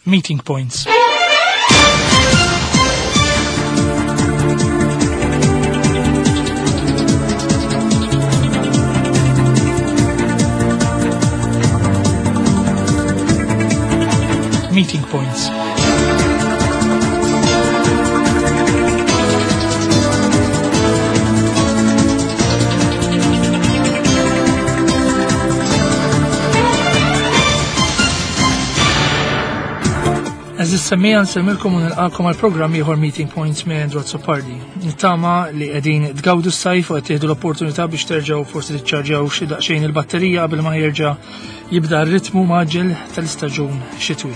Meeting Points. Meeting Points. Għaziz semmija nsemmilkom u nilqakom għal programm ieħor Meeting Points minn Andrew Azzopardi. Nittama li qegħdin tgawdu s-sajf u qed tieħdu l-opportunità biex terġgħu forsi tiċċarġjaw xi daqsxejn il-batterija qabel ma jerġa' jibda r-ritmu maġġel tal-istaġun xitwi.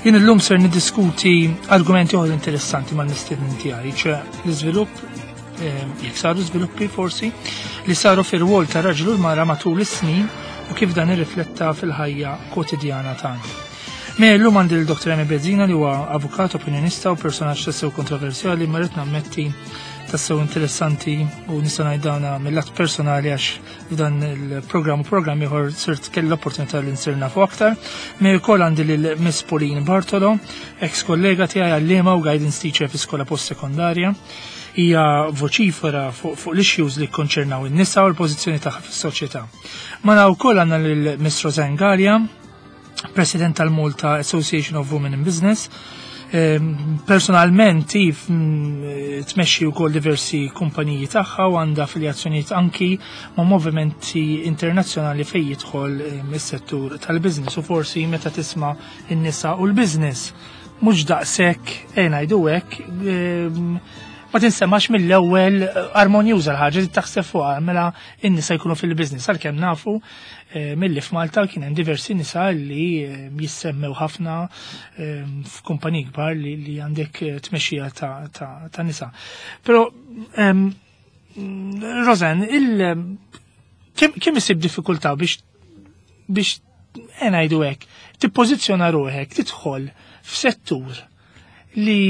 Jien illum ser niddiskuti argumenti oħra interessanti mal-mistiednin tiegħi, ċe l-iżvilupp eh, jekk saru żviluppi forsi li saru fir-rwol ta' raġel u l-mara matul is-snin u kif dan irrifletta fil-ħajja kwotidjana tagħna. Me llum għandi l-Dr. Emi Bezzina li huwa avukat, opinjonista u personaġġ tassew kontroversjali ma rrid nammetti tassew interessanti u nista' ngħid dana mill-att personali għax f'dan il-programm u programm ieħor sirt kelli l-opportunità li nsir nafu aktar. Me wkoll għandi lil Miss Pauline Bartolo, ex kollega tiegħi għalliema u guidance teacher fi skola post-sekondarja. Hija voċifera fuq fu l-issues li konċernaw in-nisa u l-pożizzjoni tagħha fis-soċjetà. Mara wkoll għandna lil Miss Rosanne Gallia, President tal-Malta Association of Women in Business. Ehm, personalment, if mm, tmexxi wkoll diversi kumpaniji tagħha u għandha affiljazzjonijiet anki ma' movimenti internazzjonali fejn jidħol ehm, is-settur tal-business u forsi meta tisma' in-nisa u l-business mhux daqshekk e ngħidu hekk ehm, ma tinsemax mill-ewwel armonjuża l-ħaġa li taħseb fuqha mela in-nisa jkunu fil-business għalkemm nafu Eh, milli f'Malta kien hemm diversi nisa li eh, jissemmew ħafna eh, f'kumpaniji kbar li għandek tmexxija ta' nisa. Però ehm, Rosen, il kemm isib diffikultà biex biex ngħidu hekk, tippożizzjona ruħek, tidħol f'settur li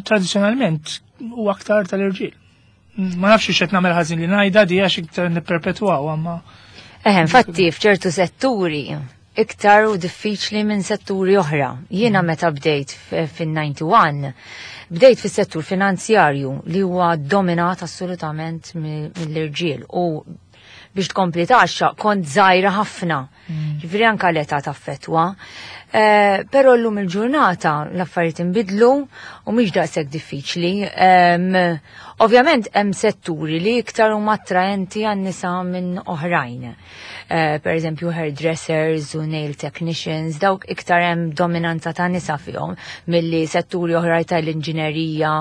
tradizzjonalment huwa aktar tal-irġiel. Ma nafx x'qed nagħmel ħażin li ngħidha di għax iktar nipperpetwaw amma. Eħe, infatti f'ċertu setturi iktar u diffiċli minn setturi oħra. Jiena mm. meta bdejt fin-91, bdejt fis-settur finanzjarju li huwa dominat assolutament mill-irġiel u biex tkompli taxxa kont żgħira ħafna. Mm. Ġifieri anke l-età taffetwa. Eh, però llum il-ġurnata l-affarijiet inbidlu u mhix daqshekk diffiċli. Ovvjament hemm setturi li iktar huma attraenti għan-nisa minn oħrajn. Eh, per eżempju hairdressers u nail technicians, dawk iktar hemm dominanza ta' nisa fihom milli setturi oħra tal-inġinerija,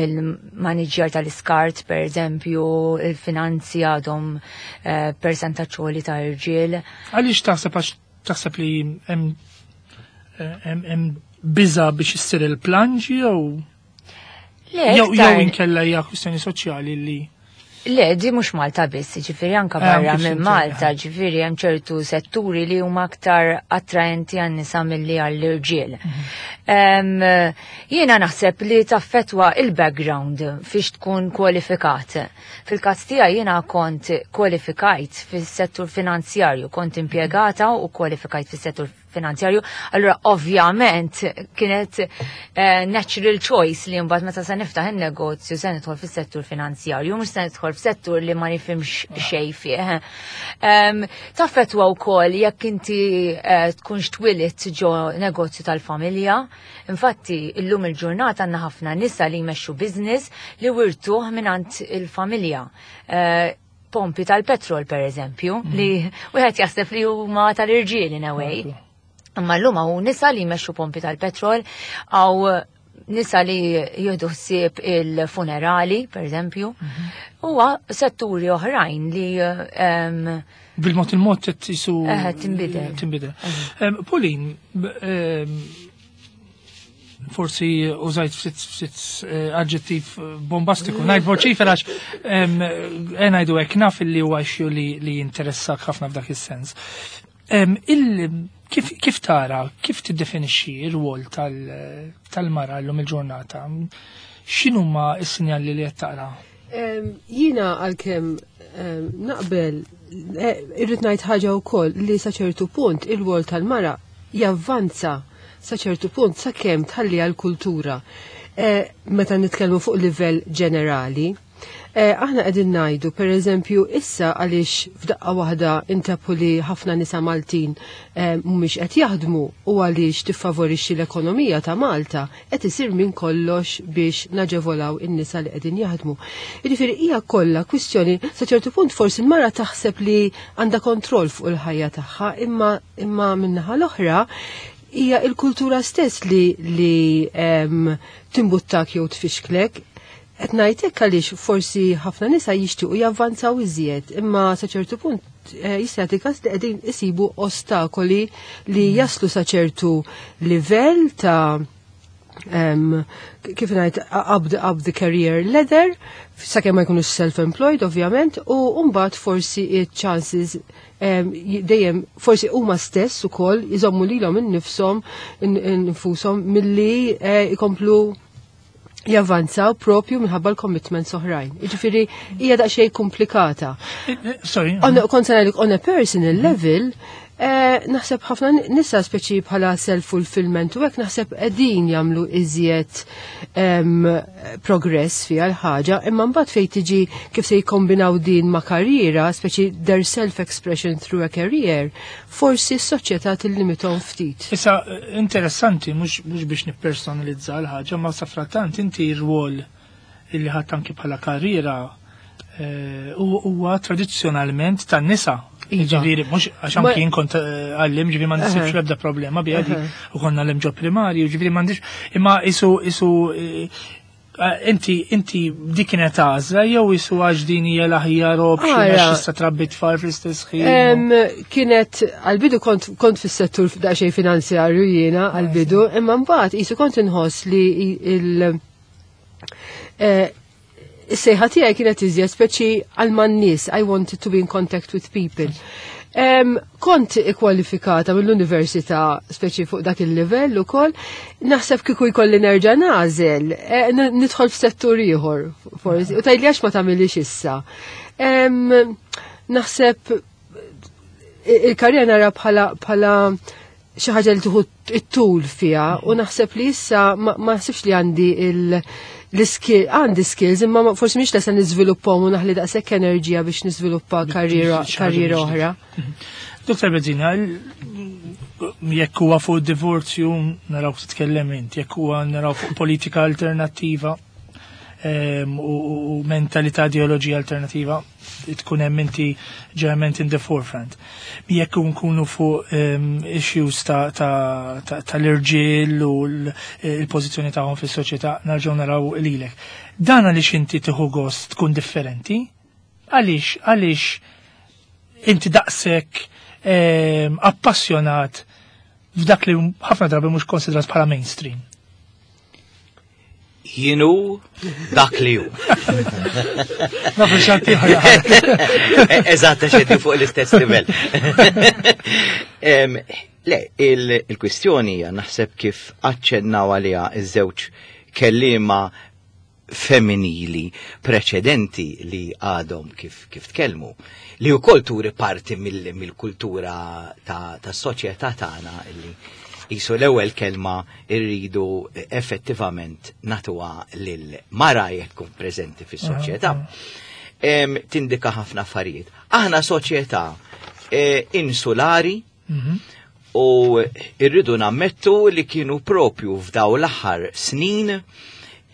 il-maniġjar tal-iskart, per eżempju, il-finanzi għadhom eh, persentaġġ għoli ta' irġiel. Għaliex taħseb għax taħseb li hemm hemm biża biex issir il-planġi jew jew jew inkella hija kwistjoni soċjali li Le, di mhux Malta biss, ġifieri anka eh, barra minn Malta, eh. ġifieri hemm ċertu setturi li huma aktar attraenti għan nisa milli għall-irġiel. Mhm. Jiena naħseb li taffetwa il-background fiex tkun kwalifikat. Fil-każ tiegħi jiena kont kwalifikajt fis-settur finanzjarju, kont impjegata u kwalifikajt fis-settur finanzjarju. Allura ovvjament kienet eh, natural choice li mbagħad meta se niftaħ in-negozju se nidħol fis-settur finanzjarju, mhux se nidħol f'settur li ma nifhimx xejn fih. Um, Taffetwa wkoll jekk inti eh, tkunx twilit ġo negozju tal-familja. Infatti, illum il-ġurnata għandna ħafna nisa li jmexxu business li wirtuh mingħand il-familja. Eh, pompi tal-petrol per eżempju, mm. li wieħed jaħseb li huma tal-irġiel in a way. Imma llum hawn nisa li jmexxu pompi tal-petrol, għaw nisa li jieħdu ħsieb il-funerali, per eżempju, mhm. huwa setturi oħrajn li bil-mod il-mod jisu tinbidel. Tinbidel. Pauline, forsi użajt ftit eh, aġġettiv bombastiku. Ngħid voċifera għax eh, ngħidu hekk naf li huwa issue li jinteressak ħafna f'dak is-sens. Kif, kif tara, kif tiddefinixxi r-rwol tal-mara llum il-ġurnata? X'inhuma s-sinjali li qed taqra? Jiena għalkemm naqbel eh, irrid ngħid ħaġa wkoll li sa ċertu punt il-rwol tal-mara javvanza sa ċertu punt sakemm tħalli għal-kultura. Meta nitkellmu fuq livell ġenerali, aħna qegħdin ngħidu pereżempju issa għaliex f'daqqa waħda intapu li ħafna nisa Maltin mhumiex qed jaħdmu u għaliex tiffavorixxi l-ekonomija ta' Malta qed isir minn kollox biex naġevolaw in-nisa li qegħdin jaħdmu. Jiġifieri hija kollha kwistjoni sa ċertu punt forsi l-mara taħseb li għandha kontroll fuq il-ħajja tagħha imma imma min-naħa l-oħra hija il-kultura stess li timbuttak jew tfixklek. Qed ngħid hekk għaliex forsi ħafna nisa jixtiequ javvanzaw iżjed, imma sa ċertu punt jista' jagħti każ li qegħdin isibu ostakoli li jaslu sa ċertu livell ta' kif ngħid up the career ladder, sakemm ma jkunux self-employed ovvjament, u mbagħad forsi chances dejjem forsi huma stess ukoll iżommu lilhom innifshom infushom milli ikomplu javvanzaw propju minħabba l-commitments oħrajn. Jiġifieri hija daqsxejn komplikata. Sorry. Kont se ngħidlek on a personal level, naħseb ħafna nisa speċi bħala self-fulfillment u hekk naħseb qegħdin jagħmlu iżjed progress fiha l-ħaġa, imma mbagħad fejn tiġi kif se jikkombinaw din ma' karriera, speċi their self-expression through a career, forsi s-soċjetà tillimithom ftit. Issa, interessanti, mhux biex nippersonalizza l-ħaġa, ma safrattant inti r-rwol illi ħadd anki bħala karriera huwa tradizzjonalment tan-nisa. Ġifieri, mhux għax anki jien kont għallim, ġifieri ma nisibx l-ebda problema biha di, u konna għallim ġo primarju, ġifieri m'għandix, imma isu inti dik kienet għażla jew isu għax din hija l-aħjar option għax tista' trabbi tfal fl-istess ħin? Kienet għal-bidu kont fis-settur daqsxejn finanzjarju jiena għal-bidu, imma mbagħad isu kont inħoss li is-sejħa tiegħi kienet iżjed speċi għal man-nies, I wanted to be in contact with people. Kont ikkwalifikata mill-università speċi fuq dak il-livell ukoll, naħseb kieku jkolli nerġa' nagħżel, nidħol f'settur ieħor forsi, u tgħidli għax ma tagħmilix issa. Naħseb il-karriera nara bħala xi ħaġa li tieħu it-tul fiha u naħseb li issa ma naħsibx li għandi l-skill, għandi skills, imma forsi mhix lesa niżviluppahom u naħli daqshekk enerġija biex niżviluppa karriera oħra. Dr. Bezzina, jekk huwa fuq divorzju naraw titkellem int, jekk huwa naraw fuq politika alternattiva u mentalità ideoloġija alternativa, tkun hemm inti ġeneralment in the forefront. Jekk nkunu fuq issues tal-irġiel u l-pożizzjoni tagħhom fis-soċjetà, nerġgħu naraw lilek. Dan għaliex inti tieħu gost tkun differenti? Għaliex inti daqshekk appassjonat f'dak li ħafna drabi mhux konsidrat bħala mainstream? Jienu dak li hu. Nafu xanti Eżatt, xeddi fuq l-istess livell. Le, il-kwistjoni hija naħseb kif aċċennaw għaliha iż-żewġ kelliema femminili preċedenti li għadhom kif tkellmu, li wkoll turi parti mill-kultura ta' soċjetà tagħna li jisu l-ewwel kelma irridu effettivament natuha lil mara jekk tkun preżenti fis-soċjetà. Tindika ħafna affarijiet. Aħna soċjetà insulari u irridu nammettu li kienu propju f'daw l-aħħar snin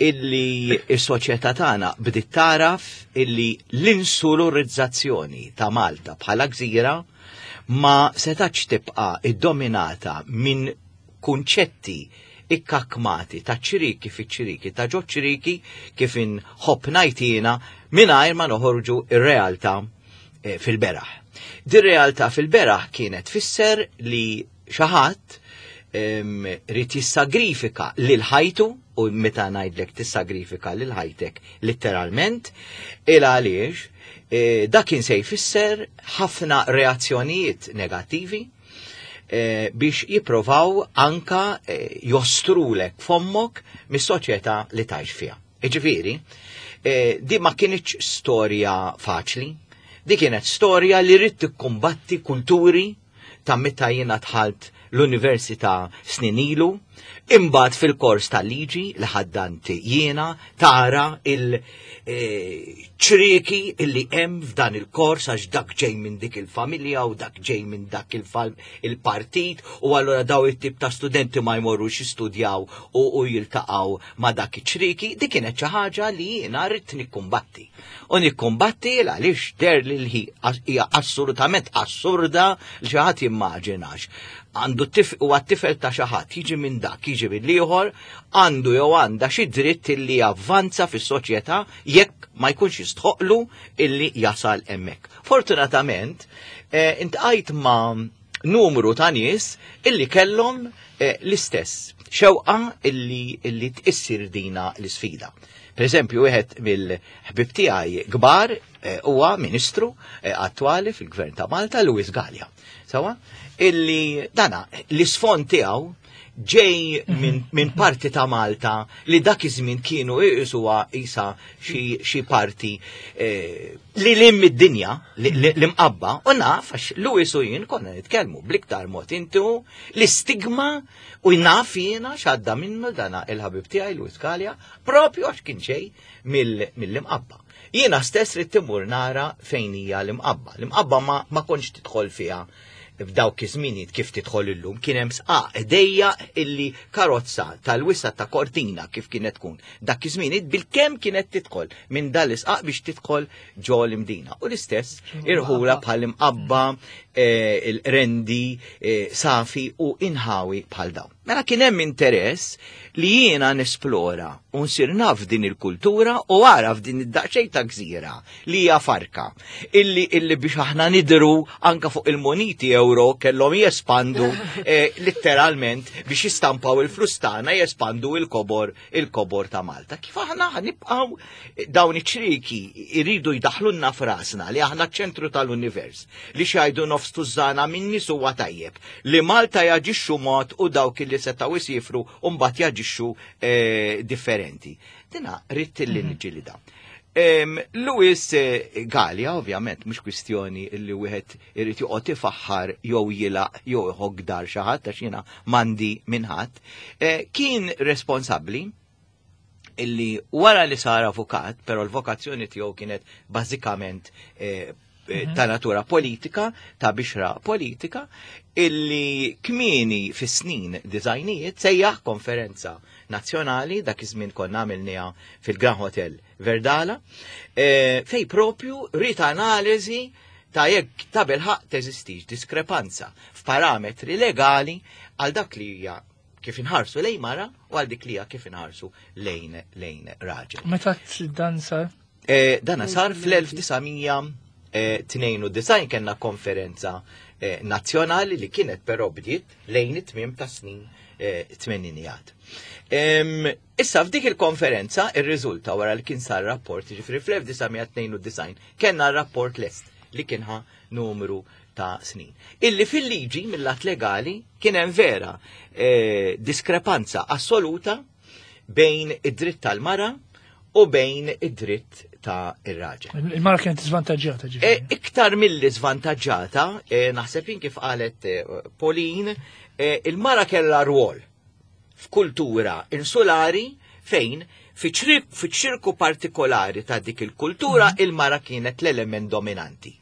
illi s-soċjetà tagħna bdiet taraf illi l-insularizzazzjoni ta' Malta bħala gżira ma setax tibqa' iddominata minn kunċetti ikkakmati ta' ċiriki fi ċiriki ta' ġo ċiriki kif inħobb ngħid jiena mingħajr ma noħorġu ir-realtà fil-beraħ. Dir-realtà fil-beraħ kienet fisser li xi ħadd rid jissagrifika lil ħajtu, u meta ngħidlek tissagrifika lil ħajtek letteralment, il għaliex dak kien se jfisser ħafna reazzjonijiet negattivi biex jipprovaw anka jostrulek fommok mis-soċjetà li tgħix fiha. Jiġifieri, di ma kienx storja faċli, di kienet storja li rrid tikkumbatti kulturi ta' meta jiena dħalt. l-università snin ilu, imbagħad fil-kors tal-liġi li ħaddant jiena tara il-ċrieki illi hemm f'dan il-kors għax dak ġej minn dik il-familja u dak ġej minn dak il-partit u allura daw it-tip ta' studenti ma jmorrux jistudjaw u jiltaqgħu ma' dak iċ-ċrieki, dik kienet xi ħaġa li jiena rrid nikkumbatti. U nikkumbatti għaliex der li hija assolutament assurda li xi ħadd jimmaġinax. Għandu u għat-tifel ta' xi ħadd jiġi minn dak, jiġi minn ieħor, għandu jew għandha xi dritt illi javvanza fis-soċjetà jekk ma jkunx jistħoqlu illi jasal hemmhekk. Fortunatament, intqajt ma' numru ta' nies illi kellhom l-istess xewqa illi tqissir dina l-isfida. Per eżempju, wieħed mill-ħbib tiegħi kbar huwa ministru attwali fil-Gvern ta' Malta, Louis Galea. Sawa? Illi dana l-isfond tiegħu ġej minn parti ta' Malta li dak iż-żmien kienu iqisuha isa xi parti li lim id-dinja, li mqabba, u naf għax Louis u jien konna nitkellmu bl-iktar mod intimu l-istigma u naf jiena x'għadda minnu dana il-ħabib tiegħi Louis Galea propju għax kien ġej mill-imqabba. Jiena stess ridt immur nara fejn hija l-imqabba. L-imqabba ma kontx tidħol fiha f'dawk iż-żminijiet kif tidħol illum, kien hemm sqaq ħdejja illi karozza tal-wisa ta' Cortina kif kienet tkun. Dak iż-żminijiet bil-kemm kienet tidħol minn dal isqaq biex tidħol ġo l-Imdina. U l-istess irħula bħal imqabba, il-rendi, safi u inħawi bħal dawn. Mela kien hemm interess li jiena nesplora u nsir naf din il-kultura u għaraf din id-daqsxejn ta' gżira li hija farka illi biex aħna nidru anka fuq il-moniti euro kellhom jespandu letteralment biex jistampaw il-flus tagħna jespandu il-kobor ta' Malta. Kif aħna ħanibqgħu dawn iċ-ċrieki jridu jdaħħlulna f'rasna li aħna ċ-ċentru tal-univers, li xajdu nofs tużana minn nies huwa tajjeb, li Malta jaġixxu mod u dawk li setgħu jsifru u mbagħad jaġixxu differenti. Dina rrid li niġġielida. Louis Galea, ovvjament, mhux kwistjoni li wieħed irid joqgħod ifaħħar jew jilaq jew iħokk dar xi ħadd għax jiena m'għandi minn ħadd, kien responsabbli illi wara li sar avukat, però l-vokazzjoni tiegħu kienet bażikament ta' natura politika, ta' bixra politika, illi kmieni fis-snin dizajnijiet sejjaħ konferenza nazzjonali, dak iż-żmien konna għamilniha fil-Grand Hotel Verdala, fej propju rit analiżi ta' jekk ta' bilħaq teżistix diskrepanza f'parametri legali għal dak li hija kif inħarsu lejn mara u għal dik li hija kif inħarsu lejn raġel. Meta dan sar? Dana sar fl-elf disamija, tnejn u disgħin kellna konferenza nazzjonali li kienet però bdiet lejn it-tmiem ta' snin tmeninijat. Issa f'dik il-konferenza irriżulta wara li kien sar rapport, jiġifieri fl-1992 kellna rapport lest li kien ħa numru ta' snin. Illi fil-liġi mill-att legali kien hemm vera diskrepanza assoluta bejn id-dritt tal-mara u bejn id-dritt ta' ir-raġel. Il-mara kienet żvantaġġjata, ġifieri. Iktar milli żvantaġġjata, naħseb jien kif qalet Pauline, il-mara kellha rwol f'kultura insulari fejn fi ċirku partikolari ta' dik il-kultura il-mara kienet l-element dominanti.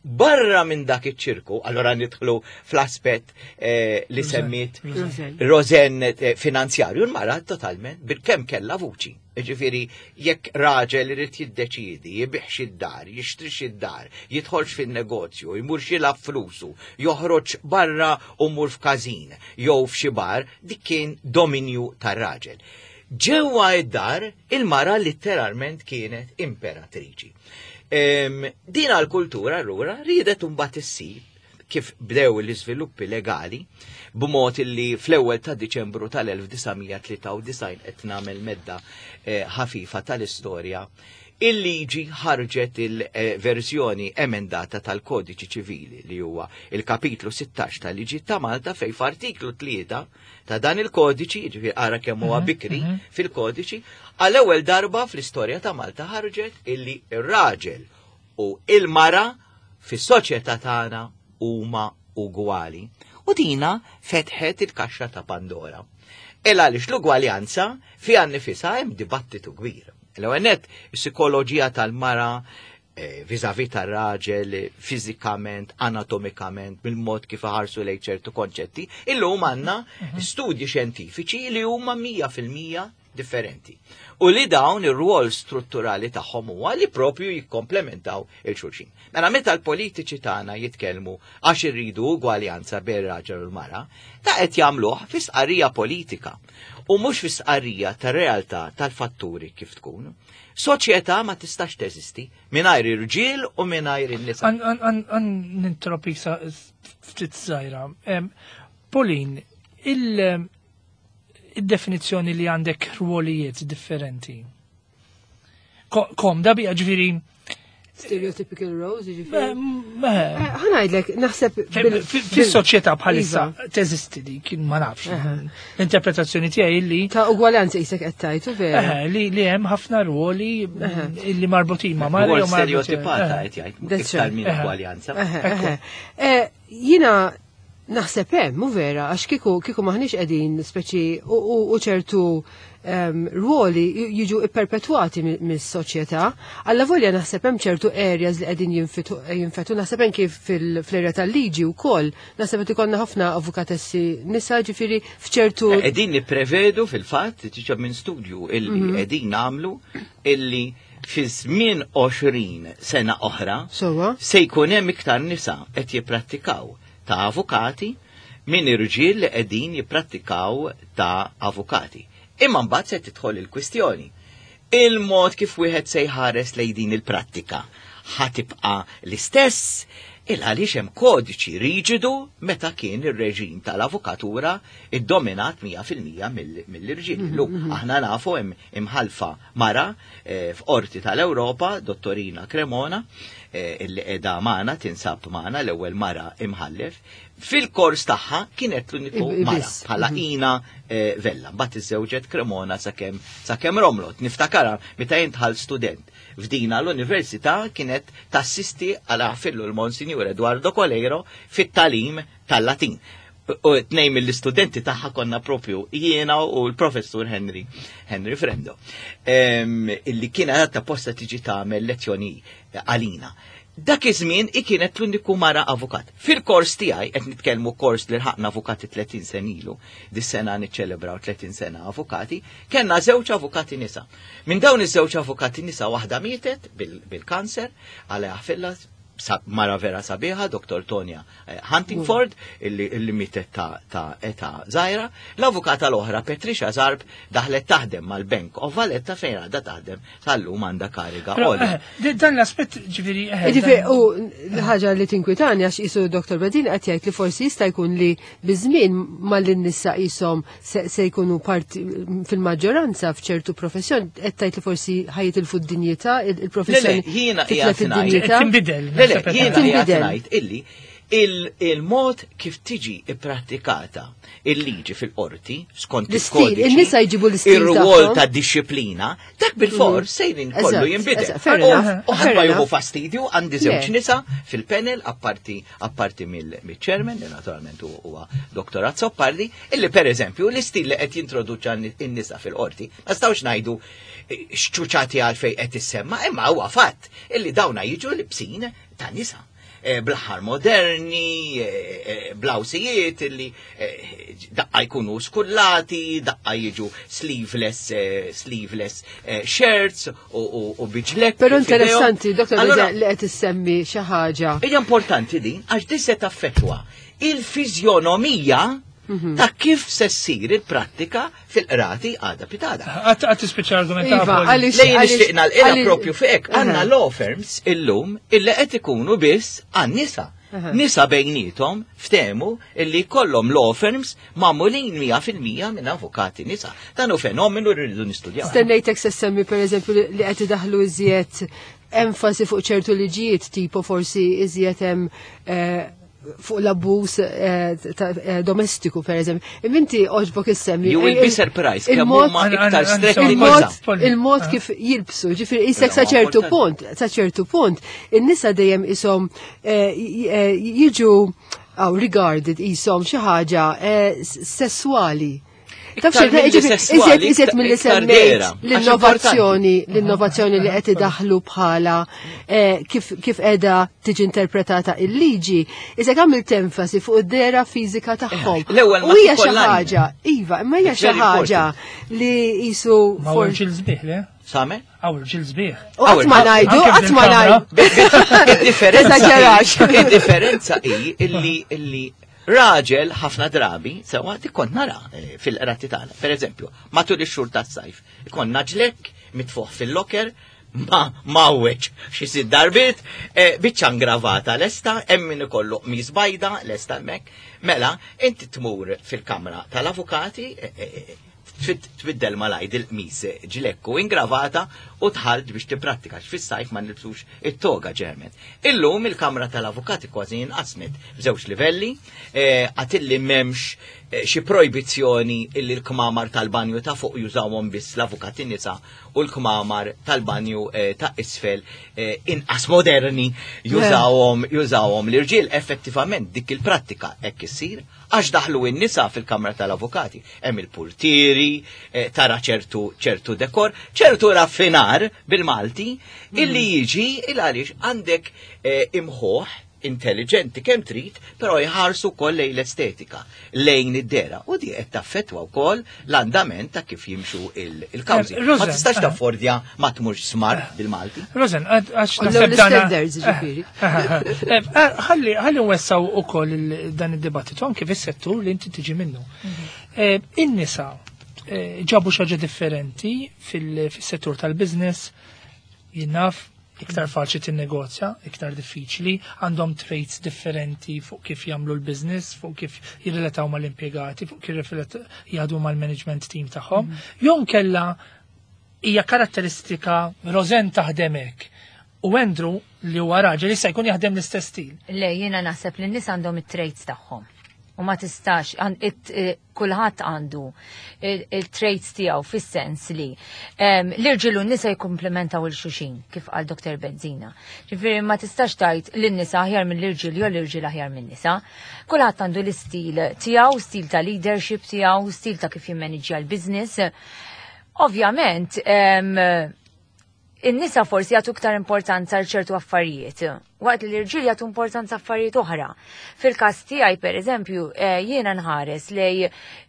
Barra minn dak iċ-ċirku, allora nidħlu fl-aspett li semmiet Rosanne finanzjarju, l-mara totalment bil-kemm kellha vuċi. Ġifieri, jekk raġel irid jiddeċiedi, jibih id-dar, jixtrix id-dar, jidħolx fin-negozju, jmur xilab flusu, joħroġ barra u mur f'każin jew f'xi bar, dik kien dominju tar-raġel. Ġewwa id-dar, il-mara letteralment kienet imperatriċi. Din għal-kultura allura riedet imbagħad issib kif bdew l-iżviluppi legali b'mod illi fl-ewwel ta' Diċembru tal-1993 qed nagħmel medda ħafifa tal-istorja, il-liġi ħarġet il-verżjoni emendata tal-Kodiċi Ċivili li huwa il-kapitlu 16 tal-Liġi ta' Malta fej f'artiklu 3 ta' dan il-kodiċi, jiġifieri ara kemm huwa bikri fil-kodiċi, għall-ewwel darba fl-istorja ta' Malta ħarġet illi r-raġel u il-mara fis-soċjetà tagħna huma ugwali. U dina fetħet il-kaxxa ta' Pandora. Il għaliex l-ugwaljanza fiha nifisha hemm dibattitu kbir. L-ewwel nett, is-psikoloġija tal-mara vis-à-vis tar-raġel fiżikament, anatomikament, mill-mod kif iħarsu lejn ċertu konċetti, illum għandna studji xjentifiċi li huma 100% differenti. U li dawn ir-rwol strutturali tagħhom huwa li propju jikkomplementaw il-xulxin. Mela meta l-politiċi tagħna jitkellmu għax irridu ugwaljanza bejn raġel u l-mara, ta' qed jagħmluh fi stqarrija politika u mhux fi stqarrija tar-realtà tal-fatturi kif tkun. Soċjetà ma tistax teżisti mingħajr irġiel u mingħajr in-nisa. Għan nintropi ftit żgħira. Pauline, il-definizzjoni li għandek rwolijiet differenti. Komda bija ġifieri Stereotypical roles, ġifieri. Ħa ngħidlek, naħseb. Fis-soċjetà bħalissa iva. teżisti di, kien ma nafx. L-interpretazzjoni tiegħi li. Ta' ugwaljanza jisek qed tgħid, vera. Li hemm ħafna ruoli illi marbutin ma' mara. Stereotipata qed jgħid, iktar minn ugwaljanza. Jiena naħseb hemm, hu vera, għax kieku kieku maħniex qegħdin speċi u ċertu ruoli jiġu ipperpetwati mis-soċjetà. Alla volja naħseb hemm ċertu areas li qegħdin jinfetu, naħseb anki fl-area tal-liġi wkoll, naħseb qed ikollna ħafna avukatessi nisa ġifieri f'ċertu. Qegħdin nipprevedu fil-fatt, tiġa minn studju illi qegħdin nagħmlu illi fi żmien 20 sena oħra se jkun hemm iktar nisa qed jipprattikaw ta' avukati minn irġiel li qegħdin jipprattikaw ta' avukati. Imma mbagħad se tidħol il-kwistjoni. Il-mod kif wieħed se jħares lejn din il-prattika ħa tibqa' l-istess il għaliex hemm kodiċi riġidu meta kien ir-reġim tal-avukatura iddominat 100% mill-irġiel. Illum aħna nafu hemm imħalfa mara f'qorti tal-Ewropa, Dottorina Cremona, illi qiegħda magħna, tinsab magħna l-ewwel mara imħallef. Fil-kors tagħha kienet l-uniku mara bħala Ina Vella. Mbagħad iżżewġet Cremona sakemm sakemm romlot. Niftakarha meta jien dħalt student f'dina l-università kienet tassisti għal fillu l-Monsinjur Eduardo Coleiro fit-talim tal-Latin. U tnejn mill-istudenti tagħha konna propju jiena u l-professur Henry Henry Frendo. Illi kien għadha posta tiġi tagħmel lezzjoni għalina. Dak iż-żmien i kienet l-uniku mara avukat. Fil-kors tiegħi qed nitkellmu kors li lħaqna avukati 30 sen ilu, dis-sena niċċelebraw 30 sena avukati, kellna żewġ avukati nisa. Minn dawn iż-żewġ avukati nisa waħda mietet bil-kanser, għalha filla mara vera sabiħa, Dr. Tonya Huntingford, illi mietet ta' età żgħira. L-avukata l-oħra Patricia Zarb daħlet taħdem mal-Bank of Valletta fejn għadha taħdem sal-lum għandha kariga għolja. Dan l-aspett ġifieri. Ġifieri u l-ħaġa li tinkwitani għax isu Dr. Bedin qed jgħid li forsi jista' jkun li biż-żmien mal-nisa qishom se jkunu parti fil-maġġoranza f'ċertu professjoni, qed tgħid li forsi ħajitilfu d-dinjità, il-professjoni. Jiena qiegħed ngħid. Tinbidel. Le, le, jiena qiegħed ngħid illi il-mod kif tiġi ipprattikata il-liġi fil-qorti skont il-kodiċi. In-nisa jġibu l-istil. Ir-rwol ta' disciplina, dak bil-fors sejrin kollu jinbidel. U ħadd ma jieħu fastidju għandi żewġ nisa fil-panel apparti apparti mill-chairman li naturalment huwa Dr. Azzopardi, illi per eżempju l-istil li qed jintroduċa n-nisa fil-qorti, ma stawx ngħidu xċuċati għalfej qed issemma, imma huwa fatt illi dawna jiġu libsin ta' nisa. Bl-aħħar moderni, blawsijiet illi daqqa jkunu skullati, daqqa jiġu sleeveless, sleeveless shirts u biġlek. Però interessanti, Dr. li qed issemmi xi ħaġa. Hija importanti din għax din se taffettwa il-fiżjonomija ta' kif se ssir il-prattika fil-qrati għada pitada. Għad tispiċċa argumenta. Iva, għaliex Lejn nixtieq nagħlqilha propju fek, għandna law firms illum illi qed ikunu biss għan-nisa. Nisa bejnietom ftehmu illi kollhom law firms magħmulin 100% minn avukati nisa. Dan hu fenomenu li rridu nistudjaw. Stennejtek se semmi pereżempju li qed idaħlu iżjed enfasi fuq ċertu liġijiet tipo forsi iżjed hemm fuq l-abbuż domestiku, per eżempju. Imminti oġbok issemmi. You will be surprised kemm huma iktar stretti Il-mod kif jilbsu, ġifieri isek sa ċertu punt, sa ċertu punt, in-nisa dejjem ishom jiġu Aw regarded qishom xi ħaġa sesswali. Taf Iktar xejn, milli jiġifieri, sesswali, iżjed milli iktar semmejt dehra, għax l-innovazzjoni, l-innovazzjoni li qed idaħlu bħala kif qiegħda tiġi interpretata il-liġi, iżek għamilt enfasi fuq id-dehra fiżika tagħhom. L-ewwel ma U hija xi tkollha ħaġa, iva, imma hija It's xi very ħaġa important. li qisu Ma for- irġiel sbieħ, le? Same? Hawn irġiel sbieħ. U qatt ma Hawn- ngħidu, anke qatt ma fil-kamra. ngħidu. Id-differenza Eżaġerax. Id-differenza hi illi raġel ħafna drabi, sewa dik kont nara fil-qrati tagħna. Per eżempju, matul ix-xhur tas-sajf, ikonna ġlekk mitfuħ fil-locker, ma mawweġ xi sitt darbiet, biċċa ngravata lesta, hemm min ikollu qmis bajda lesta hemmhekk. Mela, inti tmur fil-kamra tal-avukati, tbiddel malajr il-qmis ġlekku ingravata u tħalt biex tipprattika fis-sajf ma nilbsux it-toga ġermen. Illum il-kamra tal-avukati kważi inqasmet f'żewġ livelli, għatilli m'hemmx xi projbizzjoni illi l-kmamar tal-banju ta' fuq jużawhom biss l-avukati nisa u l-kmamar tal-banju ta' isfel inqas moderni jużawhom l-irġiel. Effettivament dik il-prattika hekk issir għax daħlu n-nisa fil-kamra tal-avukati. Hemm il-purtieri, tara ċertu dekor, ċertu raffinar bil-Malti, illi jiġi il għaliex għandek imħuħ intelligenti kemm trid, però jħarsu wkoll lejn l-estetika, lejn id-dera, u di qed taffettwa wkoll l-andament ta' kif jimxu il-kawżi. Ma Rosen, tistax taffordja ma tmurx smart bil-Malti. Rosen, għax Għallu naħseb dana l-standards, ġifieri. Ħalli nwessaw ukoll dan id-dibattitu anke fis-settur li inti tiġi minnu. In-nisa ġabu xi ħaġa differenti fis-settur tal-business, jinnaf iktar faċli tinnegozja, iktar diffiċli, għandhom traits differenti fuq kif jagħmlu l-business, fuq kif jirrelataw mal-impjegati, fuq kif jgħadu mal-management team tagħhom. Jew kella hija karatteristika Rosen taħdem hekk u Andrew li huwa raġel issa jkun jaħdem l-istess stil. Le, jiena naħseb li n-nies għandhom it-traits tagħhom. U ma tistax, kulħadd għandu il-traits tiegħu fis-sens li l-irġiel u n-nisa jikkumplementaw il-xuxin, kif qal Doktor Bezzina. Ġifieri ma tistax tgħid lin-nisa aħjar mill-irġiel jew l-irġiel aħjar min-nisa. Kulħadd għandu l-istil tiegħu, stil ta' leadership tiegħu, stil ta' kif jimmaniġġja l-business. Ovvjament, in-nisa forsi jagħtu iktar importanza għal ċertu affarijiet, waqt li l-irġiel jagħtu importanza affarijiet oħra. Fil-każ tiegħi, per eżempju, jiena nħares lej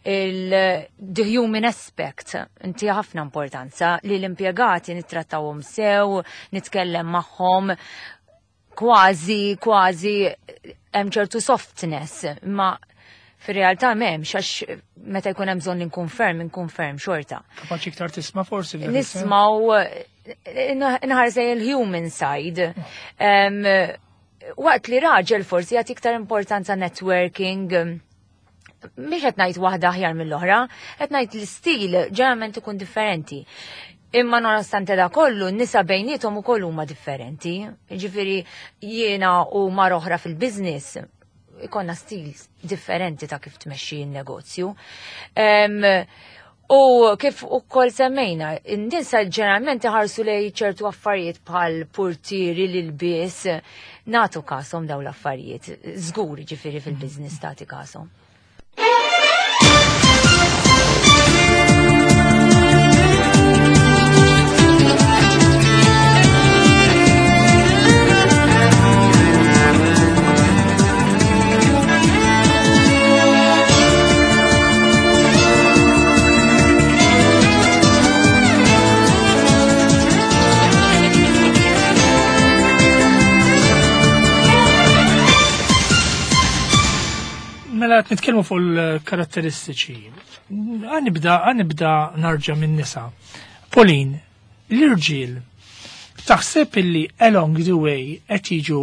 the human aspect, inti ħafna importanza li l-impjegati nittrattawhom sew, nitkellem magħhom, kważi hemm ċertu softness, ma fir-realtà m'hemmx, għax meta jkun hemm bżonn inkun ferm, inkun ferm xorta. Kapaċi iktar tisma' forsi f'dak is-sens? Nismaw, inħares lejn il-human side. Waqt li raġel forsi jagħti iktar importanza networking, mhix qed ngħid waħda aħjar mill-oħra, qed ngħid l-istil ġeneralment ikun differenti. Imma nonostante da kollu, n-nisa bejniethom ukoll huma differenti. Jiġifieri jiena u mara oħra fil-business ikonna stil differenti ta' kif tmexxi n-negozju. U kif ukoll semmejna, n-nisa ġeneralment iħarsu lej ċertu affarijiet bħal portieri l-ilbies, nagħtu kasom daw l-affarijiet, żgur ġifieri fil-business tagħti kasom. Mela qed nitkellmu fuq il-karatteristiċi. Għanibda narġa' minn nisa. Pauline, l-irġiel taħseb illi along the way qed jiġu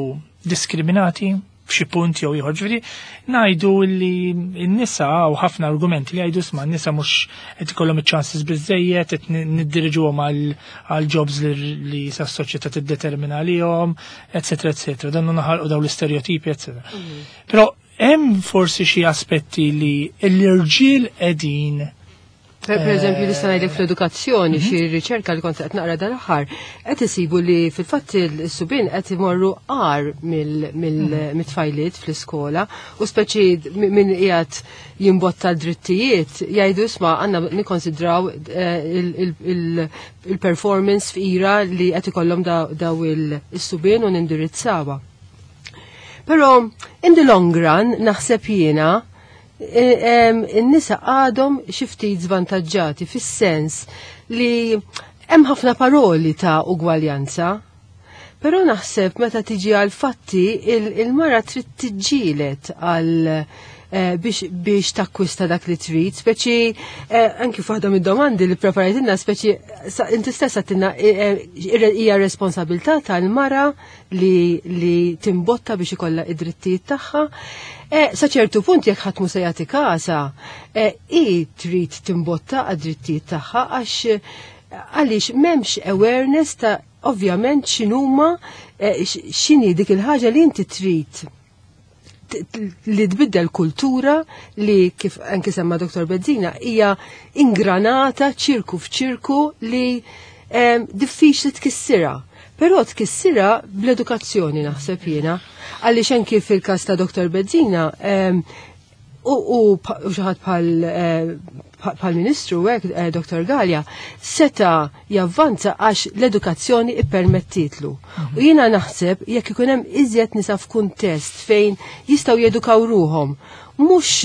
diskriminati f'xi punt jew ieħor? Ġifieri ngħidu li n-nisa u ħafna argumenti li jgħidu sma' n-nisa mhux qed ikollhom iċ-chances biżejjed, qed niddiriġuhom għal jobs li sa s-soċjetà tiddetermina għalihom, eċetera, eċetera. Dan naħalqu dawn l-istereotipi, eċetera. Però hemm forsi xi aspetti li l-irġiel qegħdin Per eżempju, nista' ngħidlek fl-edukazzjoni xi riċerka li kont qed naqra dal-aħħar qed isibu li fil-fatt is-subien qed imorru għar mill-tfajliet fl-iskola u speċi min qiegħed jimbotta d-drittijiet jgħidu isma' għandna nikkonsidraw il-performance f'ira li qed ikollhom daw is-subien u nindirizzawha. Però in the long run naħseb jiena in-nisa għadhom xi ftit żvantaġġati fis-sens li hemm ħafna paroli ta' ugwaljanza. Però naħseb meta tiġi għal fatti il-mara trid tiġġielet għal biex, biex takkwista dak li trid, speċi anki f'waħda mid-domandi li preparajtilna, speċi inti stessa għedtilna hija responsabilità tal-mara li, li timbotta biex ikollha id-drittijiet tagħha. Sa ċertu punt jekk ħadd mhu se jagħti kasa, hi trid timbotta għad-drittijiet tagħha għax għaliex m'hemmx awareness ta' ovvjament x'inhuma x'inhi dik il-ħaġa li inti trid li tbiddel kultura li kif anki semma Dr. Bezzina hija ingranata ċirku f'ċirku li diffiċli tkissirha. Però tkissirha bl-edukazzjoni naħseb jiena. Għaliex anki fil-każ ta' Dr. Bezzina u xi ħadd bħal ministru hekk Dr. Galea seta javvanza għax l-edukazzjoni ippermettitlu. U jiena naħseb jekk ikun hemm iżjed nisa f'kuntest fejn jistgħu jedukaw ruhom, mhux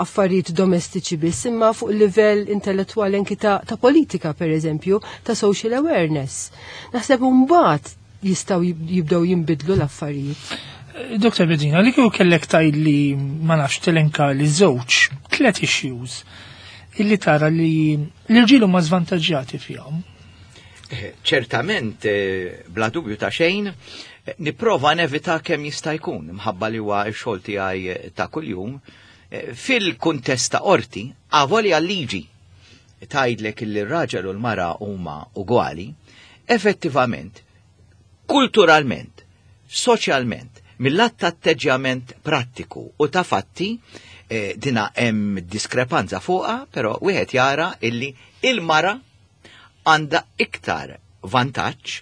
affarijiet domestiċi biss, imma fuq livell intellettwali anki ta' politika, per eżempju, ta' social awareness. Naħseb mbagħad jistgħu jibdew jinbidlu l-affarijiet. Dr. Bezzina, li kieku kellek tgħid li ma nafx telenka li żewġ, tlet issues illi tara li l-irġiel huma żvantaġġjati fihom. Ċertament, bla dubju ta' xejn, nipprova nevita kemm jista' jkun, mħabba li huwa x-xogħol tiegħi ta' kuljum, fil-kuntest ta' qorti, avolja liġi tgħidlek li r-raġel u l-mara huma ugwali, effettivament, kulturalment, soċjalment, mill-att ta' atteġġjament prattiku u ta' fatti, dina hemm diskrepanza fuqha, però wieħed jara illi il-mara għandha iktar vantaġġ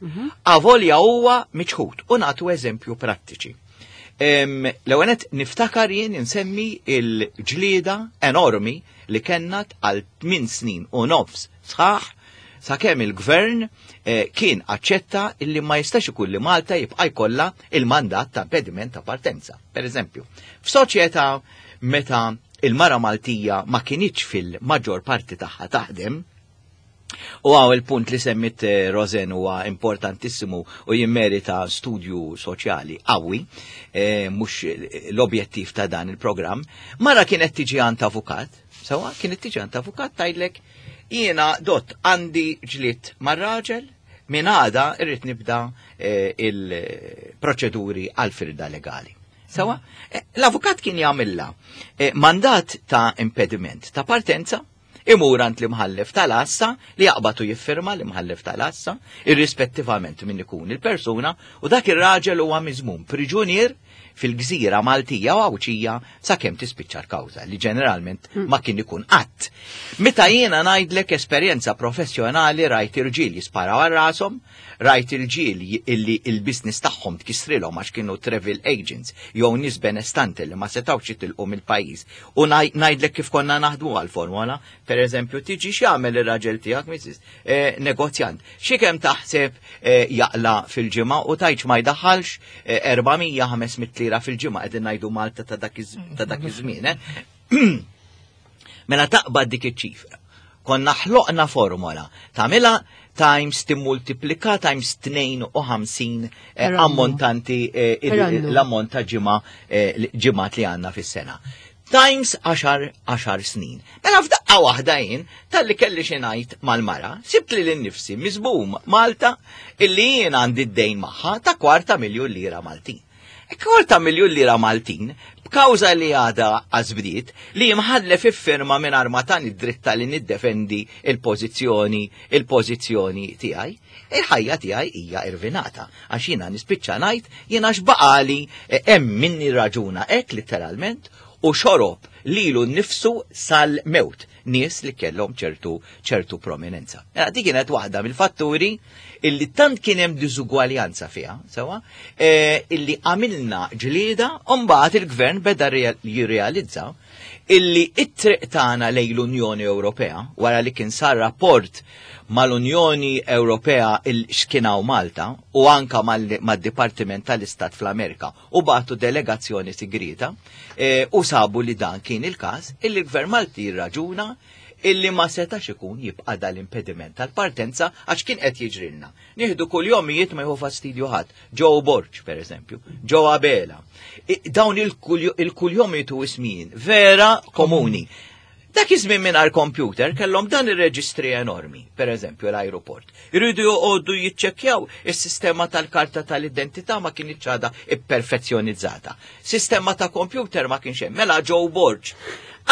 avolja huwa miċħud. U nagħtu eżempju prattiċi. L-ewwel nett niftakar jien insemmi il-ġlieda enormi li kellna għal 8 snin u nofs sħaħ sakemm il-gvern kien aċċetta illi ma jistax ikun li Malta jibqa' jkollha il-mandat ta' impediment ta' partenza. Per eżempju, f'soċjetà meta il-mara Maltija ma kinitx fil-maġġor parti tagħha taħdem, u hawn il-punt li semmit Rosen huwa importantissimu u jimmerita studju soċjali qawwi, mhux l-objettiv ta' dan il-programm, mara kienet tiġi għand avukat, sewa kienet tiġi għand avukat tgħidlek jiena dott għandi ġlied mar-raġel, minn għada irrid nibda il-proċeduri għal firda legali. Sewa, l-avukat kien jagħmilha mandat ta' impediment ta' partenza, imur għand l-imħallef tal-għassa li jaqbatu jiffirma l-imħallef tal-għassa, irrispettivament minn ikun il-persuna, u dak ir-raġel huwa miżmum priġunier fil-gżira Maltija u Għawdxija sakemm tispiċċa l-kawża, li ġeneralment ma kien ikun qatt. Meta jiena ngħidlek esperjenza professjonali rajt irġiel jisparaw għal rashom, rajt irġiel illi il-business tagħhom tkissrilhom għax kienu travel agents jew nies benestanti li ma setgħux jitilqu mill-pajjiż. U ngħidlek kif konna naħdmu għall-formula, per eżempju, tiġi x'jagħmel ir-raġel tiegħek, Mrs., negozjant. Xi kemm taħseb jaqla fil-ġimgħa u tgħidx ma jdaħħalx erba' mija, ħames mitt lira fil-ġimgħa, qegħdin ngħidu Malta ta' dak iż-żmien? Mela taqbad dik iċ-ċifra. Konna ħloqna formola tagħmilha times timmultiplika times 52 Per annu. ammontanti Per annu. l-ammont ta' ġimgħat li għandna fis-sena. Times 10 snin. Mela f'daqqa waħda jien talli kelli xi ngħid mal-mara, sibt li lil nifsi miżbum Malta illi jien għandi d-dejn magħha ta' kwarta miljun lira Maltin. E kwarta miljun lira Maltin, b'kawża li għadha għażbdiet, li jimħallef iffirma mingħajr ma tani d-dritta li niddefendi il-pożizzjoni tiegħi, il-ħajja tiegħi hija irvinata. Għax jiena nispiċċa ngħid jiena x'baqali hemm minni raġuna hekk literalment u xorob lilu nnifsu sal-mewt, nies li kellhom ċertu ċertu prominenza. Mela dik kienet waħda mill-fatturi illi tant kien hemm diżugwaljanza fiha, sewwa, eh, illi għamilna ġlieda u mbagħad il-gvern beda jirrealizza illi it-triq tagħna lejn l-Unjoni Ewropea wara li kien sar rapport mal-Unjoni Ewropea il x'kien hawn Malta u anka mad-Dipartiment tal-Istat fl-Amerika u bagħtu delegazzjoni sigrieta eh, u sabu li dan kien il-każ illi l-Gvern Malti jirraġuna illi ma setax ikun jibqa' dal-impediment tal-partenza għax kien qed jiġrilna. Nieħdu kuljomijiet ma jieħu fastidju ħadd. Joe Borg, per eżempju, Joe Abela. Dawn il-kuljomijiet u ismijiet vera komuni. Dak iż-żmien mingħajr computer kellhom dan ir-reġistri enormi, per eżempju l-ajruport. Iridu joqogħdu jiċċekkjaw is-sistema tal-karta tal-identità ma kienx għadha ipperfezzjonizzata. Sistema ta' computer ma kienx hemm. Mela Joe Borg.